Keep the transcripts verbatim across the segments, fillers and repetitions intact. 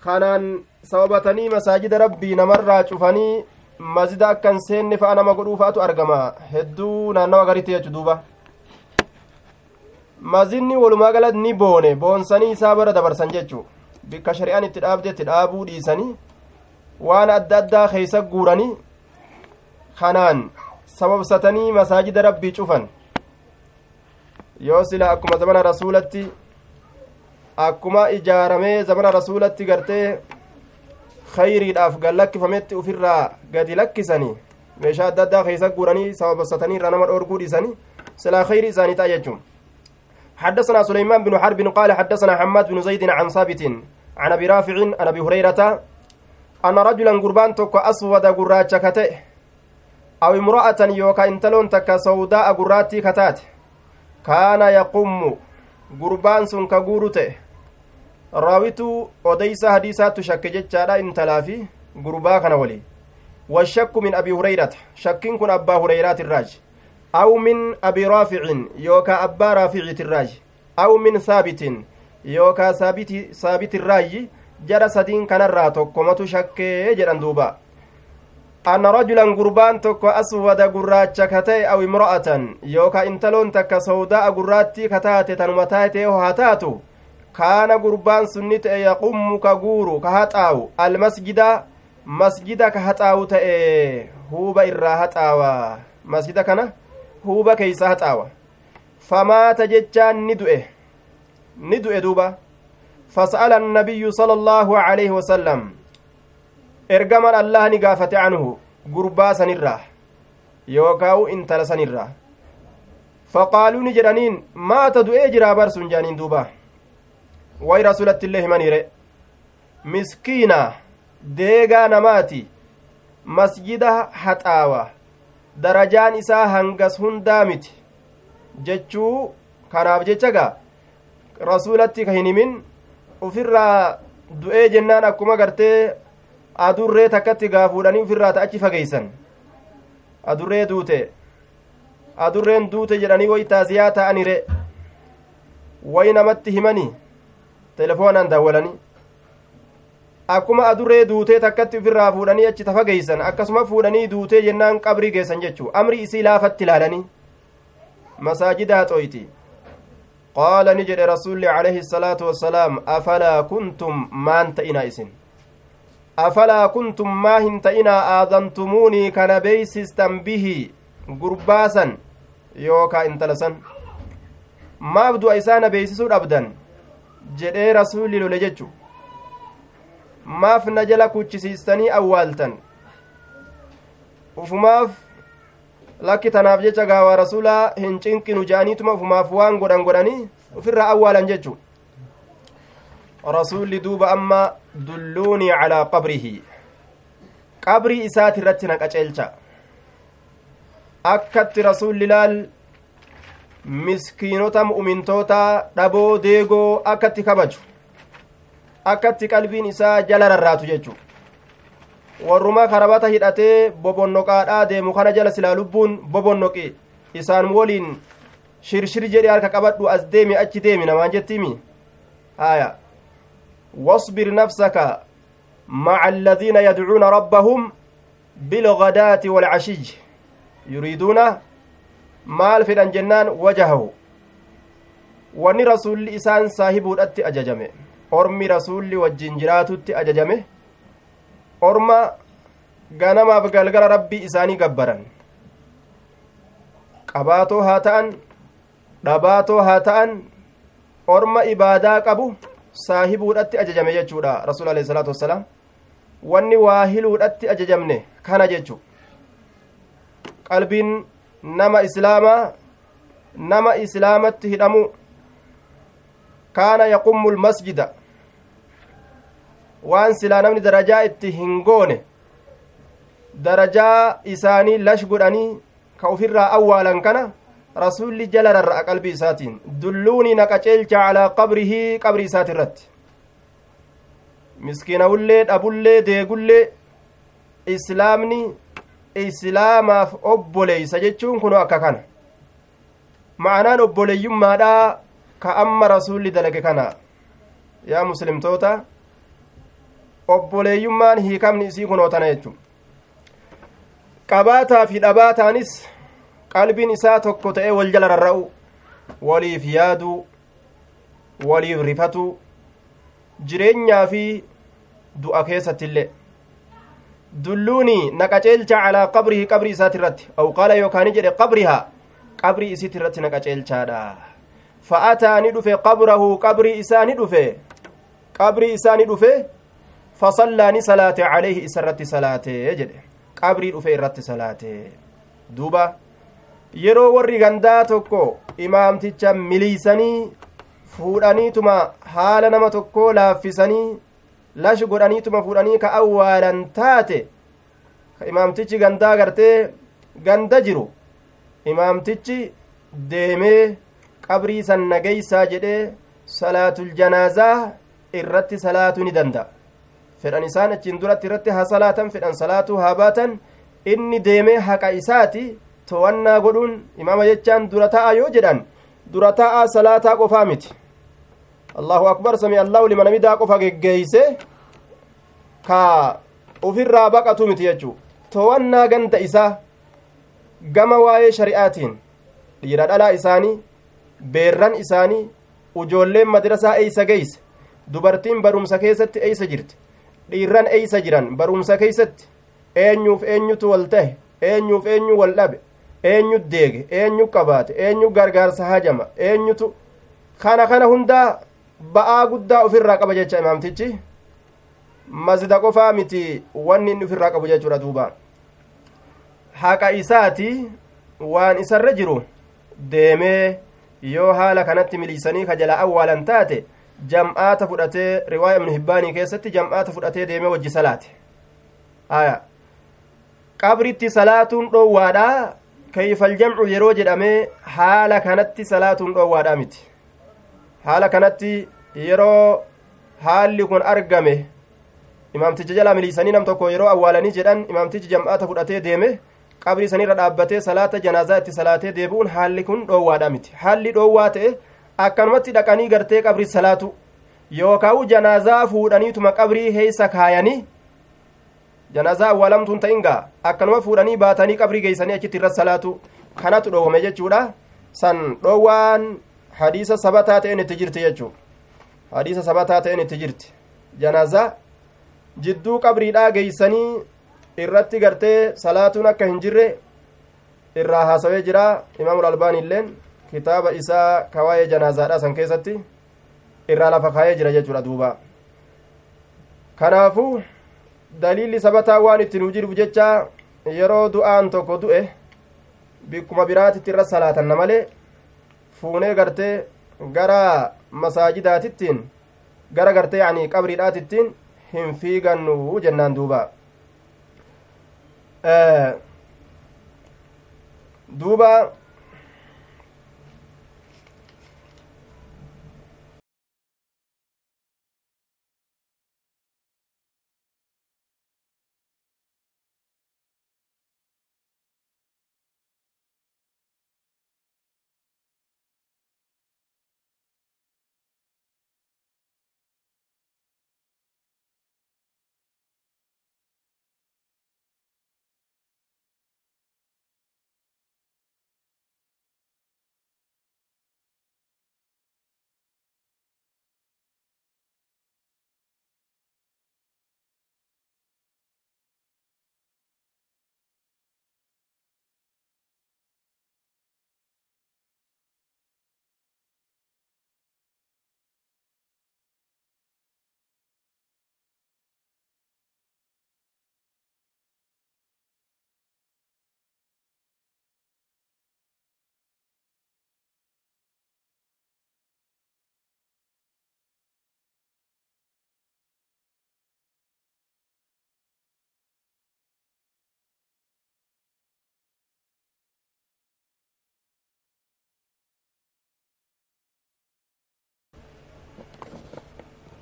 Kanaan sababatanii masaajida rabbii namarraa cufanii masjida akkan seenne fa'a nama godhuu fa'atu argama hedduu naannawa garitti jechuu duuba. Mazinni walumaa galatti ni boone boonsanii isaa bara dabarsan jechuu bikka shari'aan itti dhaabde itti dhaabuu dhiisanii waan adda addaa keessa guuranii kanaan sababsatanii masaajida rabbii cufan. Yoo sila akkuma zamana rasuulatti akkuma ijaaramee zamana rasuulatti gartee khayriidhaaf gallakkifametti ufirraa gadi lakkisanii meeshaa adda addaa keessa guuranii sababsatanii irraa nama dhoorguu dhiisanii silaa khayrii isaanii ta'a jechuun. حدثنا سليمان بن حرب قال حدثنا حماد بن زيد عن ثابت عن أبي رافع عن أبي هريرة أن رجلا قربان تك أسود قراتش كته أو امرأة يوكا انتلون تك سوداء قراتي كتات كان يقوم قربان سن كغورته راويتو أديس حديثات تشك جتشارا انتلافي قربا كان ولي والشك من أبي هريرة شكين كن أبا هريرة الراج أو من أبي رافع يوكا أبا رافع الراج أو من ثابت يوكا ثابت ثابت الراج جرى سدين كان الراتو شك جران دوبا أن رجلا قربان تك أسود قراتش كتي أو امرأة يوكا انتلون تك سوداء قراتي كتاتي تنمتاتي وهاتاتو كان قربان سنت يقوم كغورو كهاتاو المسجد مسجد كهاتاو تأي هو إراهاتاوا مسجد كان huuba keeysa haxaawa famaata jechaan ni du'e ni du'e duuba fas'ala annabiyyu sala allaahu alayhi wasalam ergaman allah ni gaafate anhu gurbaa sanirraa yookaa'u intala sanirraa faqaaluu ni jedhaniin maata du'ee jiraa barsun jaaniin duuba way rasuulatti illee himaniire miskiina deegaa namaati masjida haxaawa darajaan isaa hangas hundaa miti jechuu kanaaf jecha gaa rasuulatti ka hin himin ufirraa du'ee jennaan akkuma gartee adurree takkatti gaa fuudhanii ufirraa ta achi fageeysan adurree duute adurreen duute jedhanii way taasiyaa ta'anire way namatti himanii telefoonaan daawwalanii akkuma adurree duutee takkatti ufirraa fuudhanii achi tafageeysan akkasuma fuudhanii duutee jennaan qabrii geessan jechuu amri isii laafatti ilaalanii masaajida haxooyti. Qaala ni jedhe rasuulli alayhi salaatu wassalaam afalaa kuntum maan ta'inaa isin afalaa kuntum maa hin ta'inaa aadantumuunii kana beeysistan bihi gurbaasan yookaa intala san maaf du'a isaa na beeysisuu dhabdan jedhee rasuulli lole jechuu maaf na jala kuchisiistanii awwaaltan ufumaaf lakki tanaaf jecha gaawaa rasuulaa hin cinqinu je'aniituma ufumaaf waan godhan godhanii ufirraa awwaalan jechu. Rasuulli duuba amma dulluunii calaa qabrihi qabrii isaati irratti na qaceelcha akkatti rasuulli laal miskiinota mu'mintoota dhaboo deegoo akkatti kabaju akkatti qalbiin isaa jala rarraatu jechu warruma karabata hidhatee bobonnoqaadhaa deemu kana jala silaa lubbuun bobonnoqi isaan waliin shirshir jedhe harka qabadhu as deemi achi deemi namaan jettiimi haya wasbir nafsaka maca alladhiina yadcuuna rabbahum bilghadaati waalcashiy yuriiduuna maal fedhan jennaan wajahahu wanni rasuulli isaan saahibuudhatti ajajame ormi rasuulli wajjin jiraatutti ajajame orma ganamaaf galgala rabbii isaanii gabbaran qabaatoo haa ta'an dhabaatoo haa ta'an orma ibaadaa qabu saahibuudhatti ajajame jechuudha rasuul alayhi salaatu wassalaam wanni waa hiluudhatti ajajamne kana jechu qalbiin nama islaamaa nama islaamatti hidhamu kaana yaqummu almasjida waan silaa namni darajaa itti hin goone darajaa isaanii lash godhanii ka ufirraa awwaalan kana rasuulli jala rarra'a qalbii isaatiin dulluunii na qaceelcha calaa qabrihi qabrii isaati irratti miskiinawullee dhabullee deegullee islaamni islaamaaf obboleeysa jechuun kunoo akka kana ma'anaan obboleeyyummaadhaa ka amma rasuulli dalage kana yaa muslimtoota Obboleeyyummaan hiikamni isii kunoo tana jechuudha. Qabaataa fi dhabaataanis qalbiin isaa tokko ta'ee wal jala rarra'u, waliif yaaduu, waliif rifatu, jireenyaa fi du'a keessattillee. Dulluuni na qaceelcha calaa qabrihi qabrii isaati irratti aw qaala yookaan jedhe qabrihaa qabrii isiiti irratti na qaceelchaadha. Fa'ataa ni dhufe qabrahu qabrii isaa ni dhufe qabrii isaa ni dhufe fasallaa ni salaate calayhi isa irratti salaate jedhe qabrii dhufe irratti salaate. Duuba yeroo warri gandaa tokko imaamticha miliisanii fuudhaniituma haala nama tokkoo laaffisanii lash godhaniituma fuudhanii ka awwaalan taate ka imaamtichi gandaa gartee ganda jiru imaamtichi deemee qabrii san nageeysaa jedhee salaatul janaazaa irratti salaatuu ni danda'a. Fedhan isaan achiin duratti irratti haa salaatan, fedhan salaatuu haa baatan, inni deemee haqa isaati to'annaa godhuun imaama jechaan dura ta'a yoo jedhan dura ta'a salaataa qofaa miti. Allahu akbar sami Allahu liman hamidaa qofa geggeeyse ka ofirraa baqatu miti jechuu. To'annaa ganda isaa gama waa'ee shari'aatiin dhiira dhalaa isaanii, beerran isaanii, ujoolleen madrasaa eeysa geeyse, dubartiin barumsa keessatti eeysa jirti, dhiirran eeysa jiran barumsa keessatti, eenyuuf eenyutu wal tahe, eenyuuf eenyu wal dhabe, eenyu deege, eenyu qabaate, eenyu gargaarsa hajama, eenyutu kana kana hundaa ba'aa guddaa ofirraa qaba jecha imaamtichi. Masjida qofaa miti wanni inni ofirraa qabu jechuudha. Duuba haqa isaati waan isarra jiru deemee yoo haala kanatti miliisanii ka jala awwaalan taate jam'aata fudhatee riwaaya Ibnu Hibbaanii keessatti jam'aata fudhatee deemee wajji salaate. Aya qabritti salaatuun dhoowwaadha. Kayfal jam'u yeroo jedhamee haala kanatti salaatuun dhoowwaadha miti. Haala kanatti yeroo haalli kun argame imaamticha jala miliisanii nam tokko yeroo awwaalanii jedhan imaamtichi jam'aata fudhatee deeme qabrii sanirra dhaabbatee salaata janaazaa itti salaatee deebi'uun haalli kun dhoowwaadha miti. Haalli dhoowwaa ta'e akkanumatti dhaqanii gartee qabrii salaatu yookaan janaazaa fuudhaniituma qabrii heessa kaayanii janaazaa awwaalamtuun ta'in gaa akkanuma fuudhanii baatanii qabrii geessanii achitti irra salaatu kanatu dhoowwame jechuudha. San dhoowwaan hadiisa sabataa ta'een itti jirti jechuudha. Hadiisa sabataa ta'een itti jirti. Janaazaa jidduu qabriidhaa geessanii irratti gartee salaatuun akka hin jirre irraa haasawee jira. Imaamul Albaanii illeen kitaaba isaa kawaayee janaazaadhaa san keessatti irraa lafa kaayee jira jechuudha. Duuba kanaafuu daliilli sabataa waan itti nuu jiruuf jecha yeroo du'aan tokko du'e bikkuma biraatitti irra salaatanna malee fuunee gartee gara masaajidaatittiin gara gartee yani qabriidhaatittiin hin fiigannu jennaan. Duuba duuba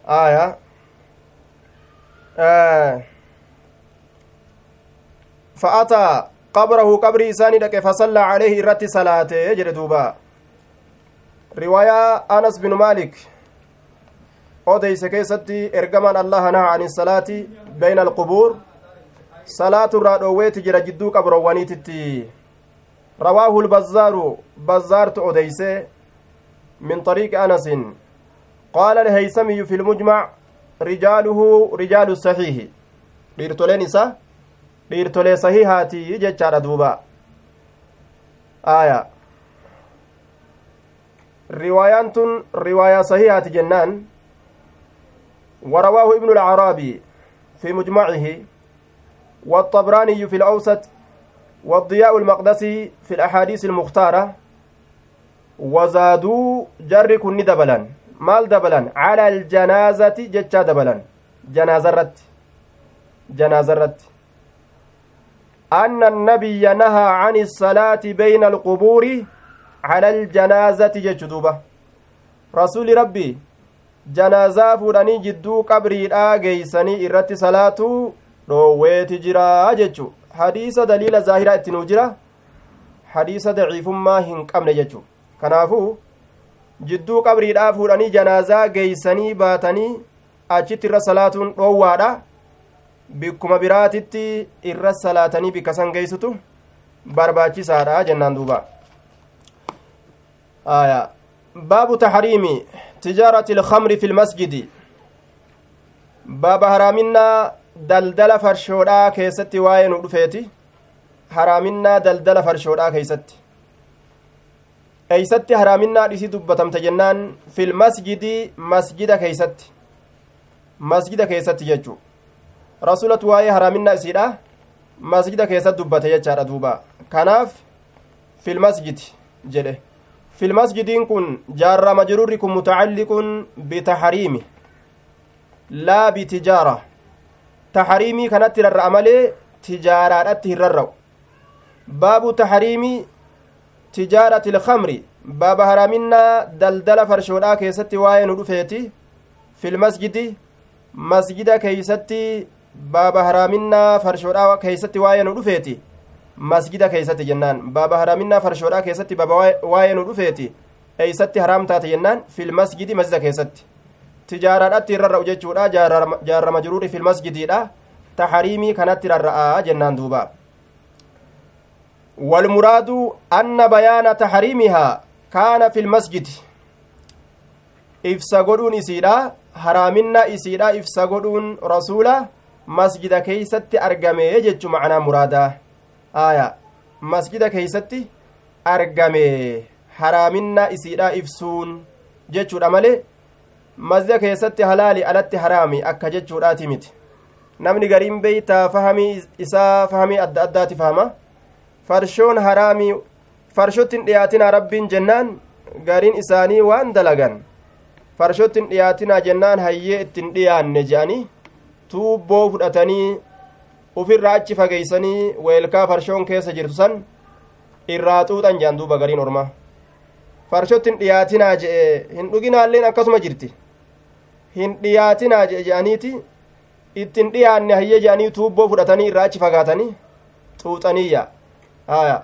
آية آه فأتى قبره قبر إساني لك فصلى عليه إرت صلاته يجري دوبا. رواية أنس بن مالك Odeyse keessatti ergamaan Allaha naha ani salaati bayna alqubuur, salaatu irraa dhoowweeti jira jidduu qabroowwaniititti. Rawaahu lbazzaaru, bazzaartu odeyse min طariiqi anasin. Qaala alhaysamiyu fi lmujmac rijaaluhu rijaalu saxiihi, dhiirtoleen isa dhiirtolee sahihaati jechaadha duuba. Aya, riwaayaan tun riwaayaa sahihaati jennaan. ورواه ابن العرابي في مجمعه والطبراني في الأوسط والضياء المقدسي في الأحاديث المختارة. وزادوا جر كن دبلا مال دبلا على الجنازة جتشا دبلا جنازرت جنازرت أن النبي نهى عن الصلاة بين القبور على الجنازة جتشدوبة. رسول ربي janaazaa fuudhanii jidduu qabriidhaa geeysanii irratti salaatuu dhoowweeti jira jechu. Hadiisa daliila zaahiraa itti nuu jira, hadiisa daciifummaa hin qabne jechu. Kanaafuu jidduu qabriidhaa fuudhanii janaazaa geeysanii baatanii achitti irra salaatuun dhoowwaadha. Bikkuma biraatitti irra salaatanii bikka san geeysutu barbaachisaadha jennaan duuba. Aya, baabu taxriimi تجارة الخمر في المسجد. باب حرامنا دلدل فرشودا كيستي واين ودفيتي. حرامنا دلدل فرشودا كيستي ايستي حرامنا ديسي دبتمت جنان في المسجد، مسجد كيستي مسجد كيستي جچو رسولت واي حرامنا اسيدا مسجد كيست دبته جچا دوبا. كناف في المسجد جده في المسجد كن جار مجرور كن متعلق بتحريمه لا بتجارة. تحريمي كانت الرأمالي تجارة الررو. باب تحريم تجارة الخمر، باب هرامنا دلدل فرشودا كيستي واين رفيتي في المسجد، مسجد كيستي باب هرامنا فرشودا كيستي واين رفيتي masjida keeysatti jennaan. Baaba haraaminaa farshoodhaa keessatti baaba waa'ee nu dhufeeti eeysatti haraam taate jennaan fil masjidi, masjida keessatti tijaaraadhatti irra jechuudha. Jaarrama jiruuri fil masjidiidha taxariimii kanatti rarra'aa jennaan duuba. Walmuraadu anna bayaana taxariimihaa kaana fil masjidi, ibsa godhuun isiidha haraaminaa isiidha ibsa godhuun rasuula masjida keeysatti argame jechu macnaa muraadaa. Aya, masjida keeysatti argame haraaminaa isiidha ibsuun jechuudha malee masjida keessatti halaali alatti haraami akka jechuudhaati miti. Namni gariin beeytaa fahamii isaa fahamii adda addaati fahama. Farshoon haraamii farshottin dhiyaatinaa rabbiin jennaan gariin isaanii waan dalagan farshottin dhiyaatinaa jennaan hayyee ittin dhiyaanne je'anii tuubboo fudhatanii ufirraa achi fageeysanii weelkaa farshoon keessa jirtu san irraa xuuxan je'an duuba. Gariin ormaa farshottin dhiyaatinaa je'e hin dhuginaalleen akkasuma jirti hin dhiyaatinaa je'e je'aniiti ittin dhiyaanne hayyee je'anii tuubboo fudhatanii irraa achi fagaatanii xuuxaniyya. Aya,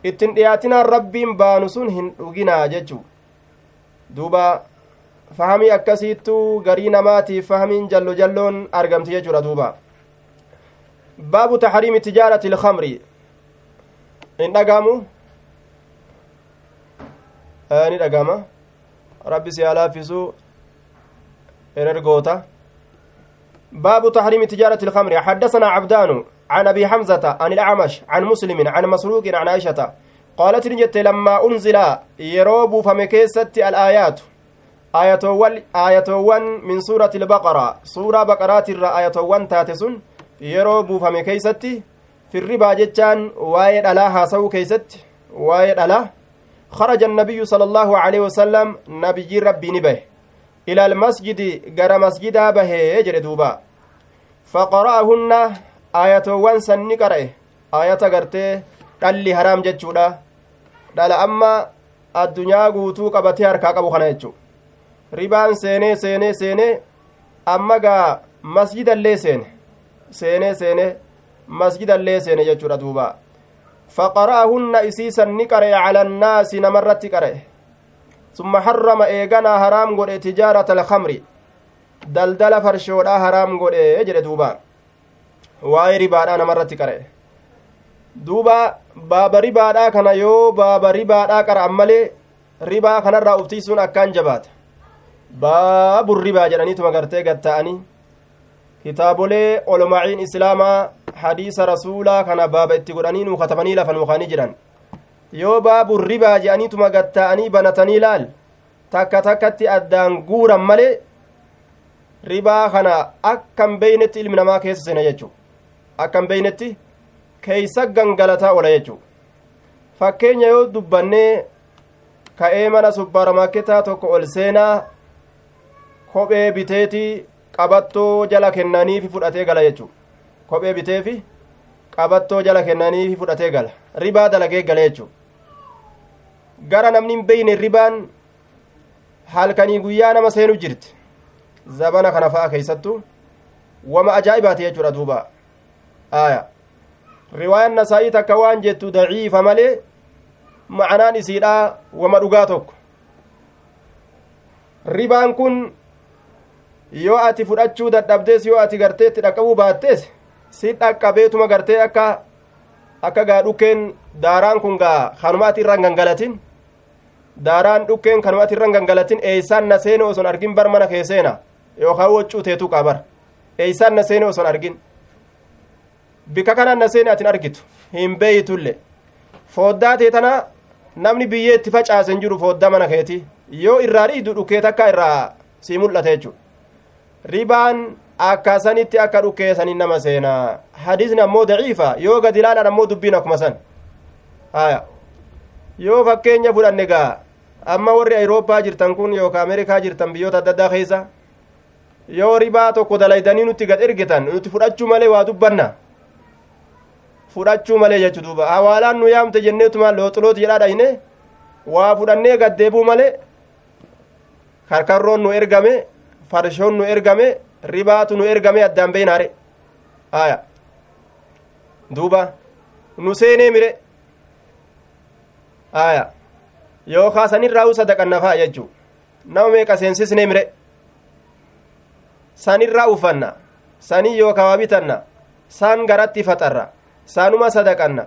ittin dhiyaatinaan rabbiin baanu sun hin dhuginaa jechuu duuba. Fahamii akkasiittuu garii namaatiif fahamiin jallo jalloon argamti jechuudha duuba. Baabu taxriimi tijaarati ilkamri hin dhagamu, ni dhagama. Rabbi si haa laaffisu erergoota. باب تحريم تجارة الخمر. حدثنا عبدان عن أبي حمزة عن الأعمش عن مسلم عن مسروق عن عائشة قالت نجت لما أنزل يروب فمكيست الآيات آية ون من سورة البقرة سورة بقرات الآية ون تاتسون يروب فمكيست في الربا جتان وايد ألاها سو كيست وايد ألا خرج النبي صلى الله عليه وسلم نبي ربي نبه إلى المسجد غير مسجد به يجري دوبا فقرأهن آية وان سن قرأه آية غرتي دلي حرام جچودا دال أما الدنيا غوتو قبتي harkaa qabu kana jechu ribaan seenee seenee seenee amma gaa masjidallee seene seenee seenee masjidallee seene jechuudha duuba فقرأهن إسيسا نقرأ على الناس نمرت قرأ ثم حرم إيغانا حرام قد تجارة الخمر Daldala farshoodhaa haraam godhe jedhe. Duuba waa'ee ribaadhaa namarratti qara'e. Duuba baaba ribaadhaa kana yoo baaba ribaadhaa qara'an malee ribaa kanarraa uftiisuun akkaan jabaata. Baabu ribaa jedhaniituma gartee gatta'anii kitaabolee olmaa'iin islaamaa hadiisa rasuulaa kana baaba itti godhanii nuu katabanii lafa nuu kaanii jiran. Yoo baabu ribaa jedhaniituma gatta'anii banatanii laal takka takkatti addaan guuran malee ribaa kana akkam beeynetti ilmi namaa keessa seena jechuu, akkam beeynetti keeysa gangalataa oola jechuu. Fakkeenya yoo dubbannee ka'ee mana supparmaarketaa tokko ol seenaa kophee biteetii qabattoo jala kennaniifi fudhatee gala jechuu. Kophee biteefi qabattoo jala kennaniifi fudhatee gala, ribaa dalagee gala jechuu. Gara namni hin beeyne ribaan halkanii guyyaa nama seenu jirti zabana kana fa'a keeysattu wama ajaa'ibaati jechuudha. Duuba aya riwaayaan Nasaa'ii takka waan jettu daciifa malee ma'anaan isiidha wama dhugaa tokko. Ribaan kun yoo ati fudhachuu dadhabdees yoo ati gartee itti dhaqqabuu baattees si dhaqqabeetuma gartee akka akka gaa dhukkeen daaraan kun gaa kanuma ati irraan gangalatin, daaraan dhukkeen kanuma ati irraan gangalatin eeysaan na seene oson argin bar mana kee seena yookaan waccuu teetu qabar eeysaan na seene oson argin bika kanaan na seene atin argitu hin beeytulle. Fooddaa tee tana namni biyyee itti facaase hin jiru fooddaa mana keeti yoo irraa dhiidu dhukkee takka irraa sii mul'ata jechuudha. Ribaan akkasanitti akka dhukkeessaniin nama seenaa. Hadiisni ammoo daciifa yoo gadi ilaalan ammoo dubbiin akkuma san. Haya yoo fakkeenya fudhanne gaa amma warri Awurooppaa jirtan kun yookaan Ameerikaa jirtan biyyoota adda addaa keessa yoo ribaa tokko dalaydanii nutti gad ergitan nuti fudhachuu malee waa dubbanna fudhachuu malee jechuu. Duuba hawaalaan nu yaamte jenneetuma looxulooti jedhaa dhayne waa fudhannee gad deebuu malee karkarroon nu ergame, farshoon nu ergame, ribaatu nu ergame addaan beeynaare. Haya duuba nu seenee mire haya yookaa sanirraa sadaqanna fa'a jechuu. Nama meeqa seensisnee mire sanirraa uffanna, sanii yookaa waa bitanna, san garatti faxarra, saanuma sadaqanna,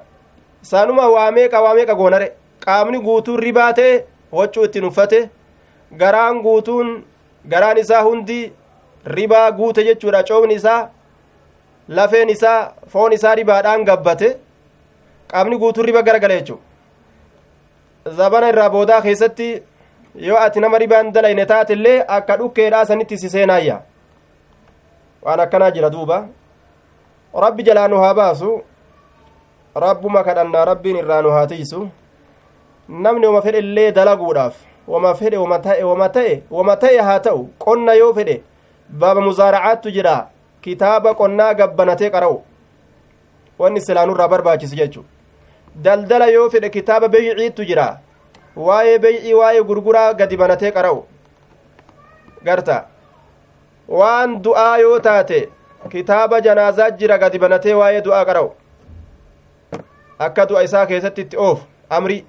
saanuma waa meeqa waa meeqa goonare. Qaamni guutuun ribaa ta'e waccuu ittiin uffate, garaan guutuun garaan isaa hundi ribaa guute jechuudha. Coomni isaa lafeen isaa foon isaa ribaadhaan gabbate, qaamni guutuun riba garagala jechuudha. Zabana irraa boodaa keessatti yoo ati nama ribaan dalayne taatellee akka dhukkeedhaa sanitti si seenaayya. Waan akkanaa jira. Duuba rabbi jalaa nu haa baasu, rabbuma kadhannaa rabbiin irraa nu haa tiisu. Namni wama fedhe illee dalaguudhaaf wama fedhe wama ta'e wama ta'e wama ta'e haa ta'u qonna yoo fedhe baaba muzaaracaattu jira kitaaba qonnaa gabbanatee qara'u wanni silaanurraa barbaachisu jechu. Daldala yoo fedhe kitaaba beeyciittu jira waa'ee beeycii waa'ee gurguraa gadi banatee qara'u garta. Waan du'aa yoo taate kitaaba janaazaa jira gadi banatee waa'ee du'aa qara'u akka du'a isaa keessatti itti oofu amri.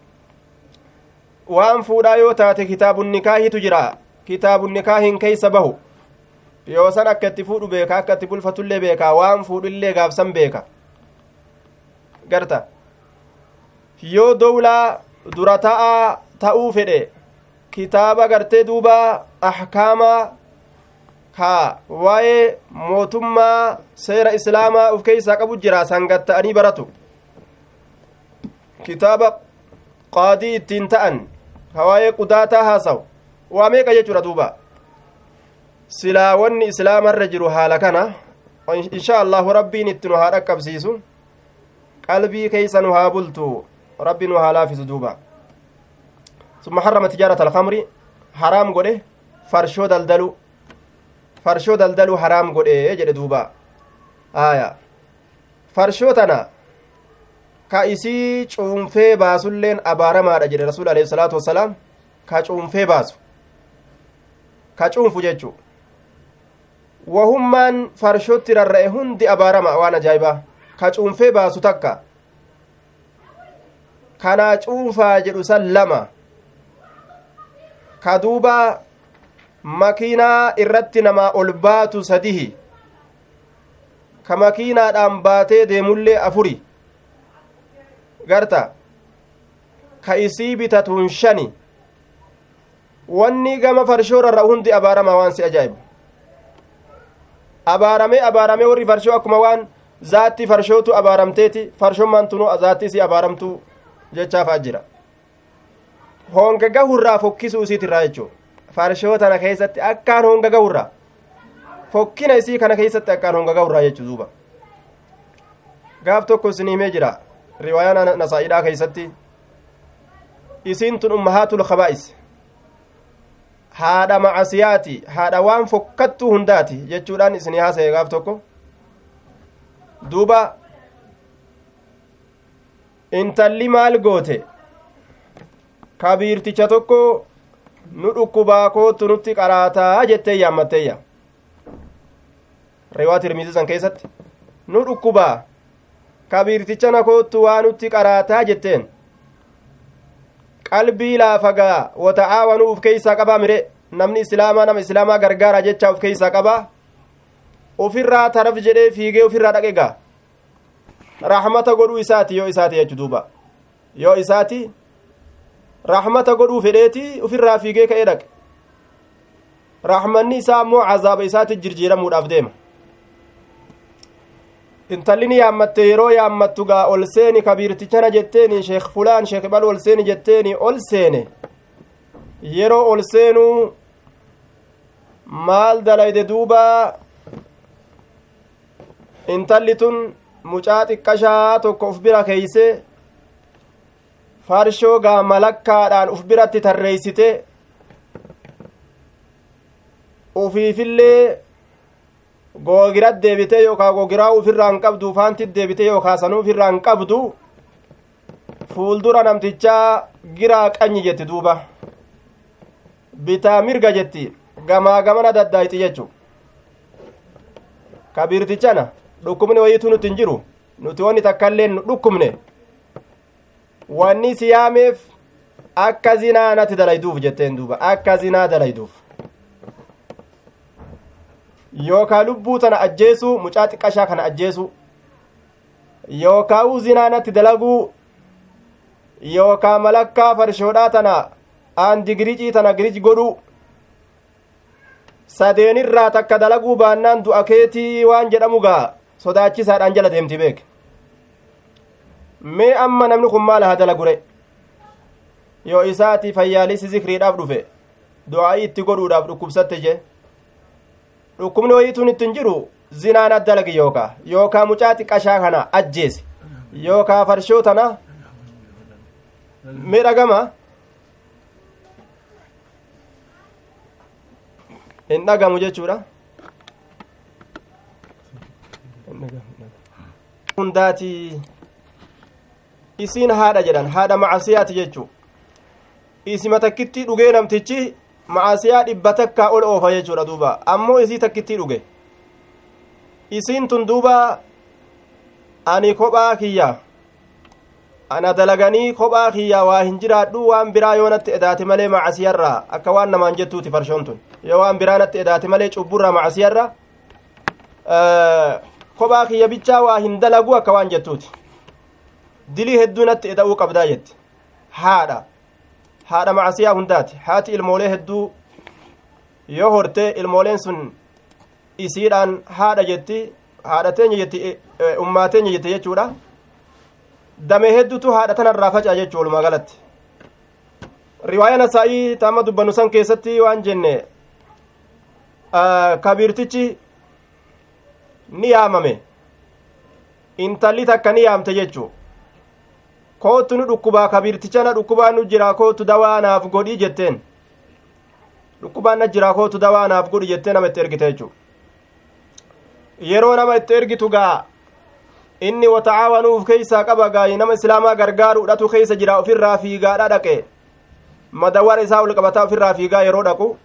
Waan fuudhaa yoo taate kitaabun nikaahitu jira kitaabun nikaahin keeysa bahu yoo san akka itti fuudhu beeka, akka itti bulfatullee beeka, waan fuudhullee gaafsan beeka garta. Yoo dowlaa dura ta'aa ta'uu fedhe kitaaba gartee duuba ahkaamaa ka waa'ee mootummaa seera islaamaa uf keeysaa qabu jira sangatta'anii baratu. Kitaaba qaadii ittiin ta'an ka waa'ee qudaataa haasawu waa meeqa jechuudha. Duuba silaa wanni islaamarra jiru haala kana insha allahu rabbiin itti nu haa dhaqqabsiisu, qalbii keeysa nu haa bultu, rabbi nu haa laafisu. Duuba summa harrama tijaarata alkhamri haraam godhe farshoo daldalu farshoo daldalu haraam godhe jedhe. Duuba aya farshoo tana ka isii cuunfee baasulleen abaaramaadha jedhe rasuul alayhi salaatu wassalaam. Ka cuunfee baasu ka cuunfu jechuu wahummaan farshootti rarra'e hundi abaarama. Waan ajaa'ibaa ka cuunfee baasu takka kanaa cuunfaa jedhu san lama ka duuba Makiinaa irratti namaa ol baatu sadihi, ka makiinaadhaan baatee deemullee afuri, garta ka isii bitatuun shani. Wanni gama farshoo rarra'u hundi abaaramaa. Waan si ajaa'ibu, abaaramee abaaramee warri farshoo akkuma waan zaatti farshootu abaaramteeti, farshommaan tunuu zaatti isii abaaramtuu jechaafaa jira. Honga gahurraa fokkisuu isiitirraa jechuu, farshoo tana keessatti akkaan honga gahurraa fokkina isii kana keessatti akkaan honga gahurraa jechuu. Duuba gaaf tokko isin himee jira riwaayaan Nasaa'idhaa keessatti, isiin tun ummahaatul khabaa'is, haadha macasiyaati, haadha waan fokkattuu hundaati jechuudhaan isinii haasa'e gaaf tokko. Duuba intalli maal goote? Kabiirticha tokko nu dhukkubaa kootu nutti qaraataa jettee yaammatteeyya. Riwaa Tirmizii san keessatti nu dhukkubaa kabiirticha na koottu waa nutti qaraataa jetteen. Qalbii laafagaa wata'aawanuu uf keeysaa qabaa mire, namni islaamaa nama islaamaa gargaara jecha uf keeysaa qabaa. Ufirraa taraf jedhee fiigee ufirraa dhaqe gaa rahmata godhuu isaati yoo isaati jechu. Duuba yoo isaati rahmata godhuu fedheeti ufirraa fiigee ka'ee dhaqe. Rahmanni isaa ammoo cazaaba isaati jirjiiramuudhaaf deema. Intalli ni yaammatte. Yeroo yaammattu gaa ol seeni kabiirtichana jetteeni, sheekh fulaan sheekh bal ol seeni jetteeni. Ol seene. Yeroo ol seenuu maal dalayde? Duuba intalli tun mucaa xiqqashaa tokko uf bira keeyse, farshoo gaa malakkaadhaan uf biratti tarreeysite, ufiifillee googirat deebitee yookaa googiraa ufirraa hin qabdu, faantit deebitee yookaa sanuu ufirraa hin qabdu, fuuldura namtichaa giraa qanyi jetti. Duuba bitaa mirga jetti, gamaa gamana daddaayxi jechu. Kabiirtichana dhukkubni wayiitu nuti hin jiru, nuti wanni takkaillee nu dhukkubne, wanni si yaameef akka zinaa natti dalayduuf jetteen. Duuba akka zinaa dalayduuf yookaa lubbuu tana ajjeesuu, mucaa xiqqashaa kana ajjeesuu, yookaa zinaa natti dalaguu, yookaa malakkaa farshoodhaa tana aandi giricii tana girij godhuu, sadeenirraa takka dalaguu baannaan du'a keetii waan jedhamu gaa sodaachisaadhaan jala deemti beek. Mee amma namni kun maal haa dalagure? Yoo isaati fayyaalisi zikriidhaaf dhufe, du'aa'ii itti godhuudhaaf dhukkubsatte je, dhukkubni wayiituun itti hin jiru, zinaan addalagi yookaa yookaa mucaa xiqqashaa kana ajjeesi yookaa farshoo tana. Mee dhagama? Hin dhagamu jechuudha. Hundaati isiin haadha jedhan, haadha macasiyaati jechuu. Isima takkittii dhugee namtichi macasiyaa dhibba takkaa ol oofa jechuudha. Duuba ammoo isii takkittii dhuge. Isiin tun duuba ani kophaa kiyya ana dalaganii kophaa kiyya waa hin jiraadhu, waan biraa yoo natti edaate malee macasiyarraa, akka waan namaan jettuuti farshoon tun, yoo waan biraa natti edaate malee cubburraa macasiyarra kophaa kiyya bichaa waa hin dalagu akka waan jettuuti, dilii hedduu natti eda'uu qabdaa jetti. Haadha haadha macasiyaa hundaati. Haati ilmoolee hedduu yoo horte ilmooleen sun isiidhaan haadha jetti, haadha teenya jetti, ummaa teenya jette jechuudha. Damee hedduutu haadha tanarraa faca'a jechuu walumaa galatti. Riwaaya Nasaa'ii taama dubbannu san keessatti waan jenne, kabiirtichi ni yaamame, intalli takka ni yaamte jechuu. Kootu nu dhukkubaa kabiirticha na dhukkubaa nu jira, kootu dawaa naaf godhii jetteen. Dhukkubaan na jira, kootu dawaa naaf godhi jettee nama itti ergite jechuu. Yeroo nama itti ergitu gaa inni wata'aawanuuf keeysaa qaba gaa nama islaamaa gargaaruudhatu keeysa jira. Ofirraa fiigaadha dhaqe, madawwara isaa ol qabataa ofirraa fiigaa yeroo dhaqu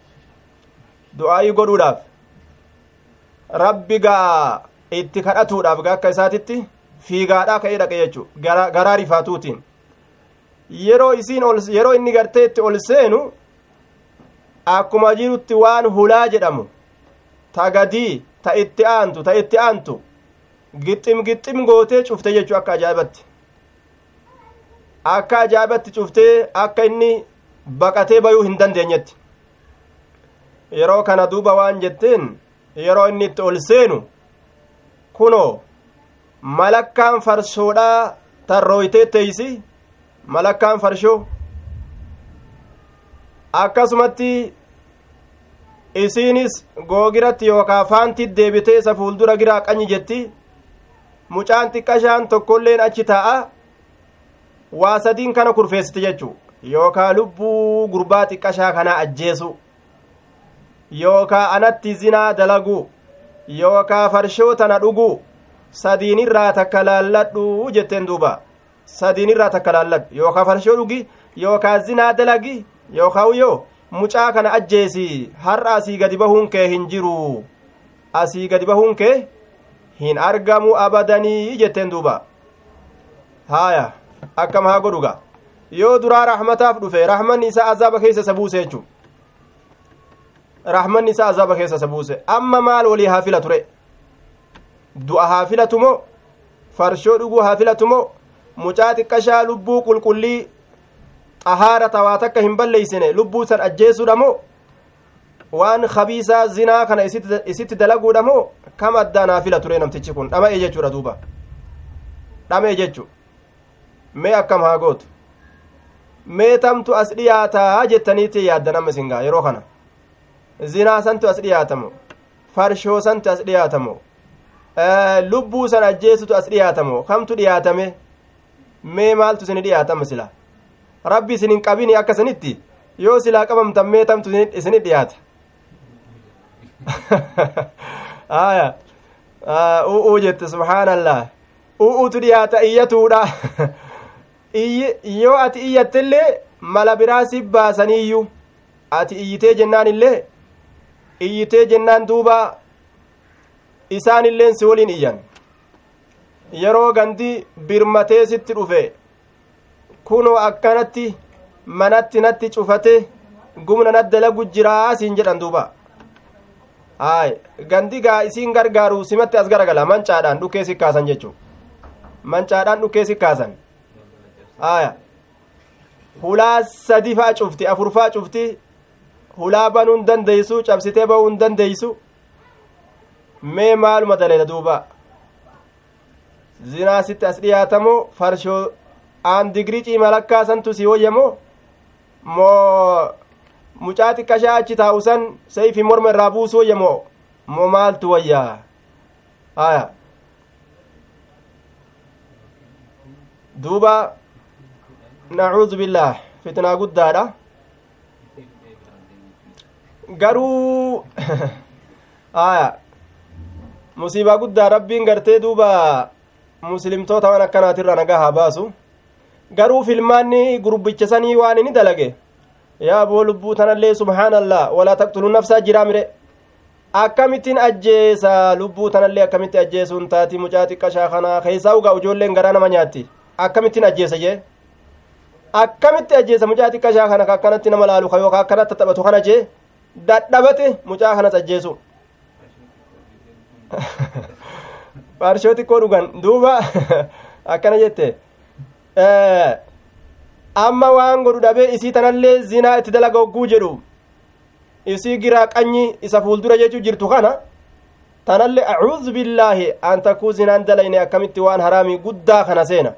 du'aayii godhuudhaaf rabbi gaa itti kadhatuudhaaf gaa akka isaatitti fiigaadhaa ka'ee dhaqe jechuu, garaa rifaatuutiin. Yeroo isiin ol yeroo inni gartee itti ol seenu Akkuma jirutti waan hulaa jedhamu ta gadii ta itti aantu ta itti aantu gixxim gixxim gootee cufte jechuu akka ajaa'ibatti akka ajaa'ibatti cuftee akka inni baqatee bayuu hin dandeenyetti. Yeroo kana duuba waan jetteen yeroo inni itti ol seenu kunoo malakkaan farshoodhaa tarrooytee teeysi malakkaan farshoo akkasumatti isiinis googiratti yookaa faanti deebitee isa fuuldura giraa qanyi jetti. Mucaan xiqqashaan tokkolleen achi taa'a waa sadiin kana kurfeessite jechuu yookaa lubbuu gurbaa xiqqashaa kanaa ajjeesu yookaa anatti zinaa dalaguu yookaa farshoo tana dhuguu sadiinirraa takka laalladhu jetteen duuba sadiinirraa takka laalladhu yookaa farshoo dhugi yookaa zinaa dalagi yookaa yoo mucaa kana ajjeesi har'a asii gadi bahuun kee hin jiru asii gadi bahuun kee hin argamu abadanii jetteen duuba. Haaya akkam haa godhuga yoo duraa rahmataaf dhufe rahmanni isaa azaaba keessa isa buuse jechuu rahmanni isaa azaaba keessa isa buuse. Amma maal walii haa filatu re du'a haa filatu moo farshoo dhuguu haa filatu moo mucaa xiqqashaa lubbuu qulqullii xahaara tawaa takka hin balleeysine lubbuu san ajjeesuudha moo waan khabiisaa zinaa kana isitti dalaguudha moo kam addaan haa filatu re namtichi kun dhama'e jechuudha duuba dhama'e jechuu. Mee akkam haa gootu mee tamtu as dhiyaataa jettaniitti yaaddan amma isin gaa yeroo kana zinaa santu as dhiyaatamo farshoo santu as dhiyaatamo lubbuu san ajjeesutu as dhiyaatamo kamtu dhiyaatame mee maaltu isin dhiyaatama sila rabbi isin hin qabini akka sanitti yoo silaa qabamtan mee tamtu isin dhiyaata. Aya u'uu jette subhaanallah u'uutu dhiyaata iyyatuudha. Yoo ati iyyattellee mala biraa si baasaniiyyuu ati iyyitee jennaan illee iyyitee jennaan duuba isaan illeen si waliin iyyan yeroo gandi birmatee sitti dhufe kunoo akkanatti manatti natti cufate gumna nat dalagu jiraa siin jedhan duuba. Ay gandi gaa isiin gargaaru simatti as garagala mancaadhaan dhukkee si kaasan jechuu mancaadhaan dhukkee si kaasan. Aya hulaa sadi faa cufti afur faa cufti hulaa banuu hin dandeeysu cabsitee bahuu hin dandeeysu mee maaluma daleeda duuba zinaa sitti as dhiyaatamoo farshoo aan digirii ciima lakkaa santu si woyyamoo moo mucaa xiqqashaa achi taa'u san sayfi morma irraa buusu woyyamoo moo maaltu wayyaa? Aya duuba nacuudu billaah fitnaa guddaadha garuu aya musiibaa guddaa rabbiin gartee duuba muslimtoota waan akkanaatirra nagaa haa baasu. Garuu filmaanni gurbicha sanii waan inni dalage yaa boo lubbuu tanallee subhaanallah walaa taqtuluu nafsaa jiraa mire akkamittiin ajjeesa lubbuu tanallee akkamitti ajjeesuun taati mucaa xiqqashaa kanaa keessaa ugaa ijoolleen garaa nama nyaatti akkamittiin ajjeesa jee akkamitti ajjeesa mucaa xiqqashaa kana akkanatti nama laalu ka yookaan akkanatti taphatu kana jee dadhabate mucaa kanas ajjeesu farshoo xiqqoo dhugan duuba akkana jette amma waan godhu dhabee isii tanallee zinaa itti dalaga hogguu jedhu isii giraa qanyi isa fuuldura jechuu jirtu kana tanallee acuuzu billaahi an takkuu zinaan dalayne akkamitti waan haraamii guddaa kana seena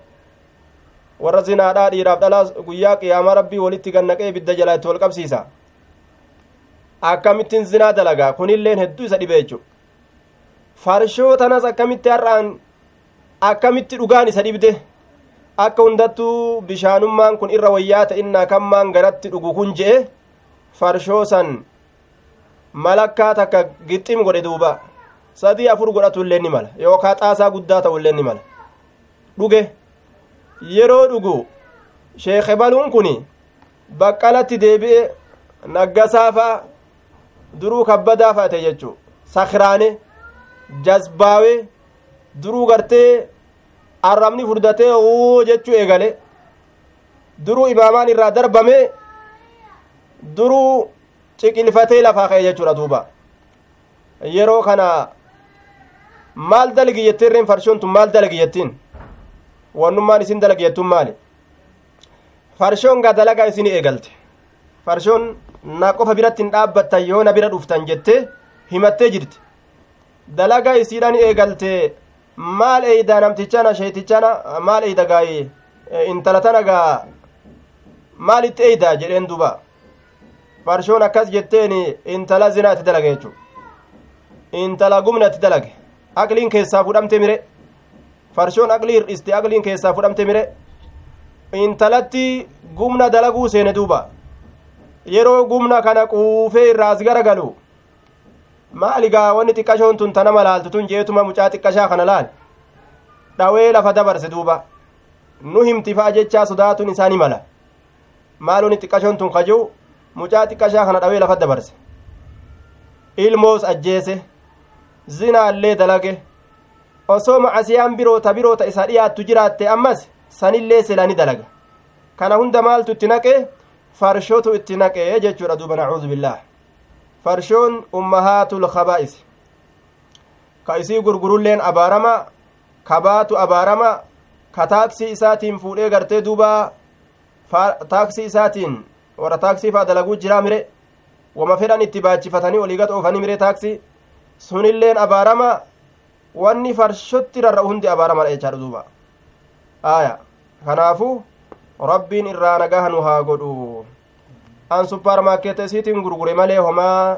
warra zinaadhaa dhiiraaf dhalaa guyyaa qiyaamaa rabbii walitti gannaqee ibidda jalaa itti wal qabsiisa akkamittiin zinaa dalagaa kunilleen hedduu isa dhibe jechuu farshoo tanas akkamitti har'aan akkamitti dhugaan isa dhibde akka hundattuu bishaanummaan kun irra wayyaa ta'innaa kammaan garatti dhugu kun je'e farshoo san malakkaa takka gixxim godhe duuba sadii afur godhatu illee ni mala yookaa xaasaa guddaa ta'u illee ni mala dhuge yeroo dhugu sheekhe baluun kun baqqalatti deebi'e naggasaa fa'a duruu kabbadaa fa'a ta'e jechuu sakhraane jazbaawe duruu gartee arrabni furdatee uu jechuu eegale duruu imaamaan irraa darbame duruu Ciqilfatee lafaa ka'e jechuudha duuba. Yeroo kana maal dalagi jetteen reen farshoon tun maal dalagi jettiin? Wannummaan isin dalagi jettuun maali? Farshoon gaa dalagaa isin eegalte. Farshoon na qofa biratti hin dhaabbattan yoo na bira dhuftan jettee himattee jirti. Dalagaa isiidhaan eegalte maal eeydaa namtichana sheetichana maal eeyda gaa'ee intala tana gaa maalitti eeydaa jedheen duuba. Farshoon akkas jetteen intala zinaa itti dalage jechuudha. Intala gumna itti dalage. Aqliin keessaa fudhamte mire. Farshoon aqlii hir'iste aqliin keessaa fudhamte mire. Intalatti gumna dalaguu seene duuba. Yeroo gumna kana quufee irraa as garagalu maali gaa wanni xiqqashoon tun tana malaaltu tun jeetuma mucaa xiqqashaa kana laal dhawee lafa dabarse duuba. Nu himti fa'a jechaa sodaatuun isaanii mala. Maal wanni xiqqashoon tun kajuu mucaa xiqqashaa kana dhawee lafa dabarse. Ilmoos ajjeese zinaallee dalage osoo macasiyaan biroota biroota isa dhiyaattu jiraatte ammas sanillee silaa ni dalaga. Kana hunda maaltu itti naqe? Farshootu itti naqe jechuudha duuba. Nacuudu billaah. Farshoon ummahaatul khabaa'is ka isii gurgurulleen abaarama, ka baatu abaarama, ka taaksii isaatiin fuudhee gartee duuba taaksii isaatiin warra taaksii faa dalaguu jiraa mire wama fedhan itti baachifatanii olii gad oofanii mire taaksii sunilleen abaarama. Wanni farshotti rarra'u hundi abaaramadha jechaadha duuba. Aya kanaafuu rabbiin irraa nagaha nu haa godhu. An supparmaarkeeta isiitiin gurgure malee homaa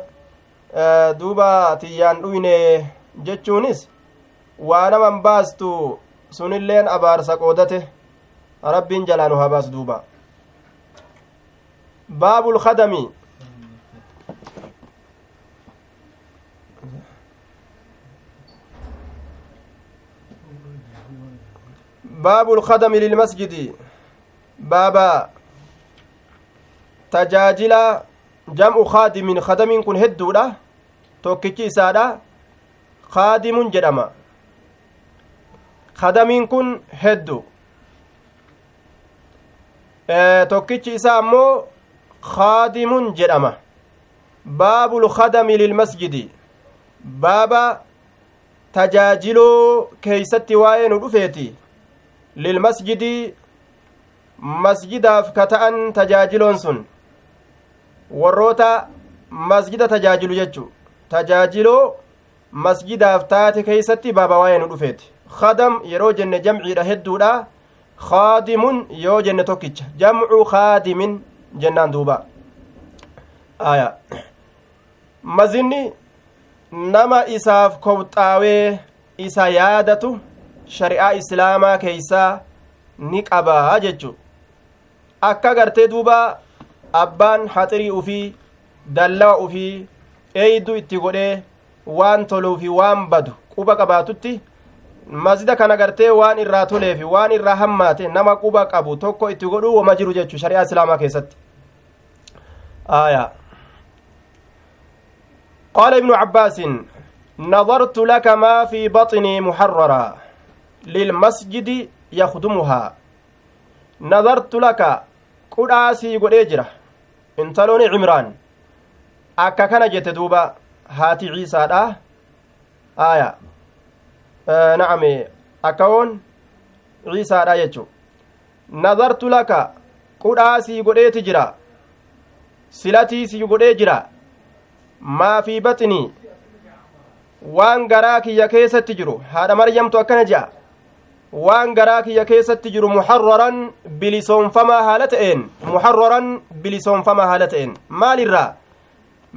duuba tiyyaan dhuyne jechuunis waa naman baastu sunilleen abaarsa qoodate. Rabbiin jalaa nu haa baasu duuba. Baabul khadami baabul khadami lilmasjidi baaba tajaajila jam'u khaadimin. Khadamiin kun hedduudha, tokkichi isaadha khaadimun jedhama. Khadamiin kun heddu, tokkichi isaa ammoo khaadimun jedhama. Baabul khadami lilmasjidi baaba tajaajiloo keeysatti waa'ee nu dhufeeti. Lilmasjidi masjidaaf ka ta'an tajaajiloon sun warroota masjida tajaajilu jechu. Tajaajiloo masjidaaf taate keeysatti baaba waa'ee nu dhufeeti. Khadam yeroo jenne jamciidha hedduudha. Khaadimun yoo jenne tokkicha jamcu khaadimin jennaan duuba. Aya mazinni nama isaaf kobxaawee isa yaadatu shari'aa islaamaa keeysaa ni qabaa jechu. Akka gartee duuba abbaan haxirii ufii dallawa ufii eeyduu itti godhee waan toluu fi waan badu quba qabaatutti masjida kana gartee waan irraa tolee fi waan irraa hammaate nama quba qabu tokko itti godhuu wama jiru jechu shari'aa islaamaa keessatti. Aya قال ابن عباس نظرت لك ما في بطني محررا للمسجد يخدمها. نظرت لك قداسي godhee jira intalooni Cimraan akka kana jette duuba haati Ciisaadha. Aya na'ame akkawoon Ciisaadha jechu. Nazartu laka qudhaasii godheeti jira silatii sii godhee jira maa fi baxnii waan garaa kiyya keessatti jiru. Haadha Maryamtu akkana je'a waan garaa kiyya keessatti jiru muharraran bilisoonfamaa haala ta'een muharraran bilisoonfamaa haala ta'een maalirraa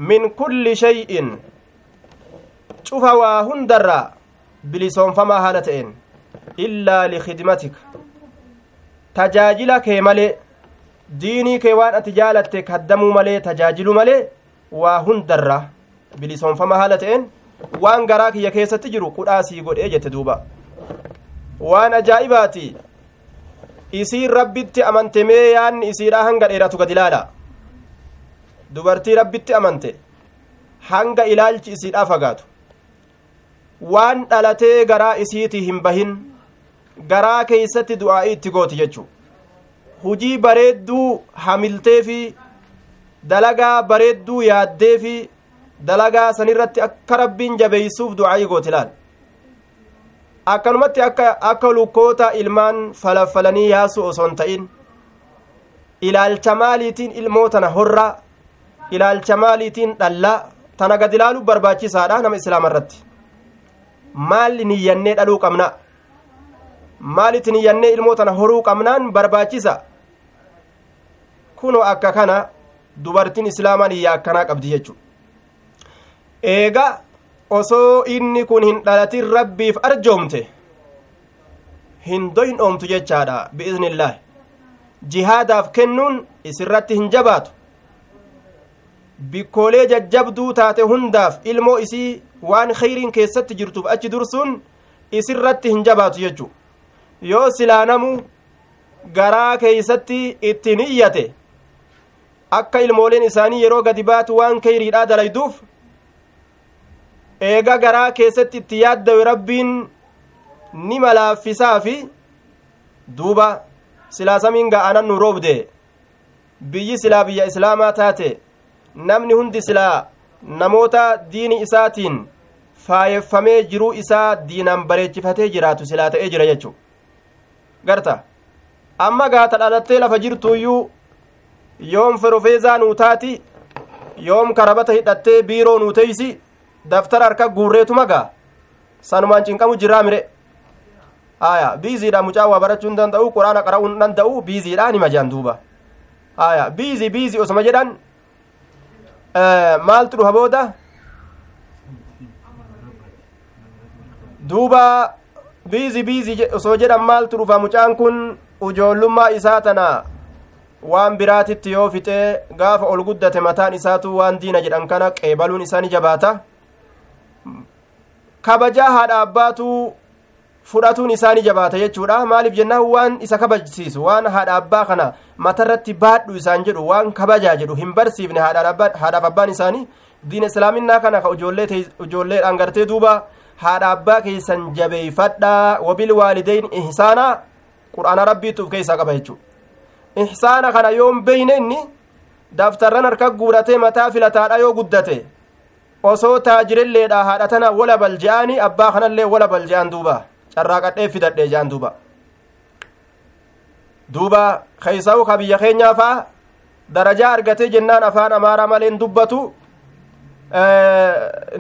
min kulli shay'in cufa waa hundarraa bilisoonfamaa haala ta'een illaa likhidmatika tajaajila kee malee diinii kee waan ati jaalatte kaddamuu malee tajaajilu malee waa hundarraa bilisoonfamaa haala ta'een waan garaa kiyya keessatti jiru qudhaasii godhee jette duuba. Waan ajaa'ibaati isiin rabbitti amante mee yaanni isiidha hanga dheeratu gad ilaala. Dubartii rabbitti amante hanga ilaalchi isiidha fagaatu waan dhalatee garaa isiitii hin bahin garaa keeysatti du'aa'ii itti gooti jechuu. Hujii bareedduu hamiltee fi Dalagaa bareedduu yaaddee fi dalagaa sanirratti akka rabbiin jabeeysuuf du'aayii gooti laal. Akkanumatti akka akka lukkoota ilmaan falafalanii yaasu osoo hin ta'in ilaalcha maaliitiin ilmoo tana horraa, ilaalcha maaliitiin dhallaa tana gad ilaaluu barbaachisaadha nama islaama irratti. Maali niyyannee dhaluu qabna, maalitti niyyannee ilmoo tana horuu qabnaan barbaachisa. Kunoo akka kana dubartiin islaamaa niyyaa akkanaa qabdi jechuudha. Eega osoo inni kun hin dhalatin rabbiif arjoomte hin doyin dhoomtu jechaadha bi'iznillaahi. Jihaadaaf kennuun isirratti hin jabaatu. Bikkoolee jajjabduu taate hundaaf ilmoo isii waan khayriin keessatti jirtuuf achi dursuun isirratti hin jabaatu jechuu. Yoo silaa namu garaa keeysatti itti niyyate akka ilmooleen isaanii yeroo gadi baatu waan khayriidhaa dalayduuf eega garaa keessatti itti yaaddawe rabbiin ni malaaffisaa fi duuba silaa samiin ga'anan nu roobde, biyyi silaa biyya islaamaa taate, namni hundi silaa namoota diini isaatiin faayeffamee jiruu isaa diinaan bareechifatee jiraatu silaa ta'ee jira jechuu. Garta amma gaata dhalattee lafa jirtuuyyuu yoom ferofeezaa nuu taati, yoom karabata hidhattee biiroo nuu teeysi, daftara harka guurreetuma gaa sanumaan cinqamu jiraa mire. Aya biiziidha, mucaa waa barachuu hin danda'u, quraana qara'uu hin danda'u, biiziidha nima jedhan duuba. Aya biizii biizii osoma jedhan maaltu dhufa booda duuba biizii biizii osoo jedhan maaltu dhufa mucaan kun ujoollummaa isaa tana waan biraatitti yoo fixee gaafa ol guddate mataan isaatu waan diina jedhan kana qeebaluun isaa ni jabaata. Kabajaa haadha abbaatu fudhatuun isaa ni jabaata jechuudha. Maaliif jennaan waan isa kabajsiisu waan haadha abbaa kana matarratti baadhu isaan jedhu waan kabajaa jedhu hin barsiifne haadhaaf abbaan isaanii diina islaaminaa kana ka ijoolleedhaan gartee duuba haadha abbaa keessan jabeeyfadhaa wabil waalideyn ihsaana qur'aana rabbiitu of keessaa qaba jechuudha. Ihsaana kana yoon beeyne inni daftarran harka guuratee mataa filataadha yoo guddate osoo taajirilleedha haadha tana wala balje'aani abbaa kanallee wala balje'aan duuba carraaqadhee fidadhee je'an duuba. Duuba keessaa'u ka biyya keenyaa faa darajaa argatee jennaan afaan amaaraa maleen dubbatu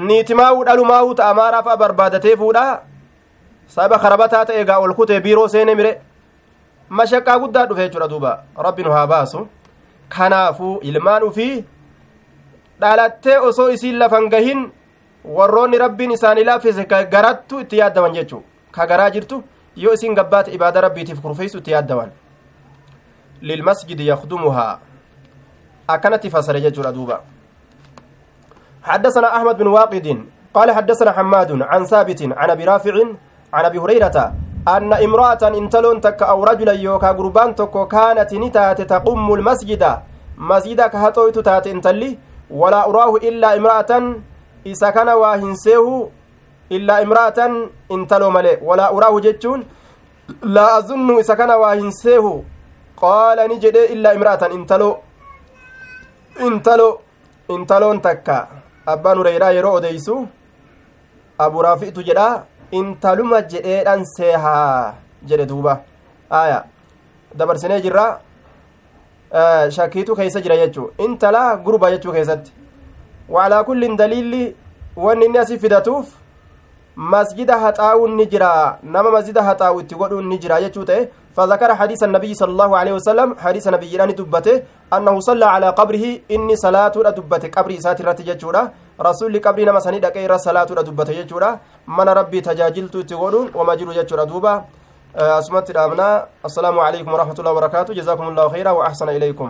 niitimaa'uu dhalumaa'uu ta amaaraa faa barbaadatee fuudha saba karabataa ta'e egaa ol kutee biiroo seene mire mashaqqaa guddaa dhufe jechuudha duuba. Rabbi nu haa baasu. Kanaafuu ilmaan ufii dhalattee osoo isiin lafan gahin warroonni rabbiin isaanii laaffise garattu itti yaaddaman jechuu ka garaa jirtu yoo isiin gabbaate ibaada rabbiitiif kurfeessu itti yaaddaman. Lilmasjidi yakdumuhaa akkanatti fasare jechuudha duuba. حدثنا أحمد بن واقد قال حدثنا حماد عن ثابت عن أبي رافع عن أبي هريرة أن امرأة انتلون تك أو رجلا يوكا قربان تكو كانت نتات تقوم المسجد مسجد كهتويت تات انتلي ولا أراه إلا امرأة إذا كان واهنسيه إلا امرأة انتلو ملي ولا أراه جتشون لا أظن إذا كان واهنسيه قال نجد إلا امرأة انتلو انتلو انتلون تكا أبان هريرة يرو أديسو أبو رافع تجدا intaluma jedheedhan seehaa jedhe duuba. Aya dabarsinee jirra shakkiitu keessa jira jechuu intala gurba jechuu keessatti. Waalaa kullin daliilli wanni inni asii fidatuuf masjida haxaa'uun ni jira nama masjida haxaa'u itti godhuun ni jira jechuu ta'e. فذكر حديث النبي صلى الله عليه وسلم حديث نبي دبته أنه صلى على قبره إني صلاة دبته قبر إسات الرتي رسول قبري نما سني دقير صلاة دبته جچورا من ربي تجاجلت تغدون وما جرو جچورا دوبا اسمت الامنا. السلام عليكم ورحمة الله وبركاته. جزاكم الله خيرا وأحسن إليكم.